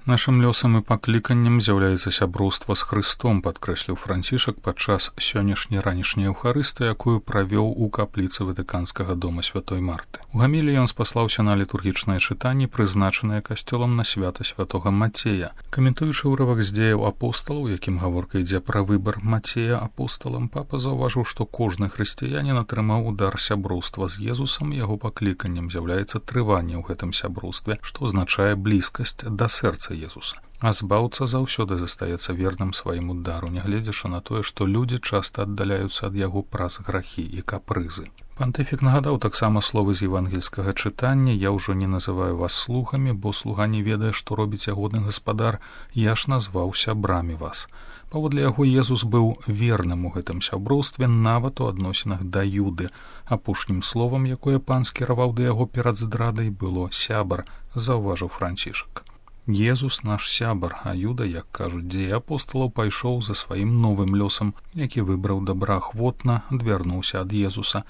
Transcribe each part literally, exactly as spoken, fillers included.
Нашым лёсам і пакліканнем з'яўляецца сяброўства з Хрыстом, падкрэсліў Францішак падчас сённяшняй ранішняй эўхарысты, якую правёў у капліцы Ватыканскага дома святой Марты. У гаміліі ён спаслаўся на літургічнае чытанне, прызначанае касцёлам на свята святога Мацея. Каментуючы ўрывак з дзеяў апосталаў, якім гаворка ідзе пра выбар Мацея апосталам, папа заўважыў, што кожны хрысціянін атрымаў удар сяброўства з Езусам, і яго пакліканнем з'яўляецца трыванне ў гэтым сяброўстве, што азначае блізкасць да сэрца Езуса. А збаўца заўсёды застаецца верным свайму дару, нягледзячы на тое, што людзі часта аддаляюцца ад яго праз грахі і капрызы. Пантыфік нагадаў таксама словы з евангельскага чытання: «Я ўжо не называю вас слугамі, бо слуга не ведае, што робіць ягодны гаспадар, я ж назваў сябрамі вас». Паводле яго Езус быў верным у гэтым сяброўстве нават у адносінах да Юды. Апошнім словам, якое пан скіраваў да яго перад здрадай, было «сябар», заўважыў Францішак. Езус наш сябар, а Юда, як кажуць дзеі апосталаў, пайшоў за сваім новым лёсам, які выбраў добраахвотна, адвярнуўся ад Езуса.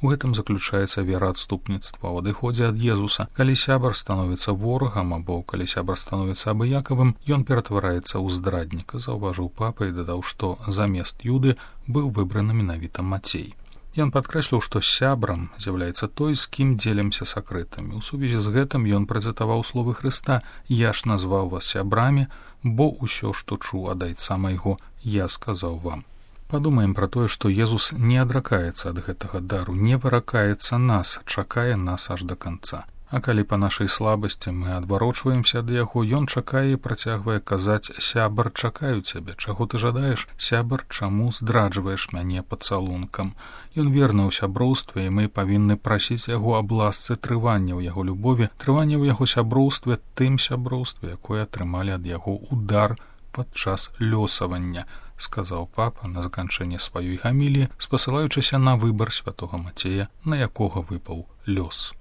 У гэтым заключаецца вера адступніцтва ў адыходзе ад Езуса. Калі сябар становіцца ворагам або калі сябар становіцца абыякавым, ён ператвараецца ў здрадніка, заўважыў папа і дадаў, што замест Юды быў выбраны менавіта Мацей. Ён падкрэсліў, што сябрам з'яўляецца той, з кім дзелімся сакрэтамі. У сувязі з гэтым ён працытаваў словы Хрыста: «Я ж назваў вас сябрамі, бо ўсё, што чуў ад айца майго, я сказаў вам». Падумаем пра тое, што Езус не адракаецца ад гэтага дару, не выракаецца нас, чакае нас аж да канца. А калі па нашай слабасці мы адварочваемся ад яго, ён чакае і працягвае казаць: «Сябар, чакаю цябе, чаго ты жадаеш? Сябар, чаму здраджваеш мяне пацалункам?» Ён верны ў сяброўстве, і мы павінны прасіць яго аб ласцы трывання ў яго любові, трывання ў яго сяброўстве, тым сяброўстве, якое атрымалі ад яго удар падчас лёсавання, сказаў папа на заканчэнне сваёй гаміліі, спасылаючыся на выбар святога Мацея, на якога выпаў лёс.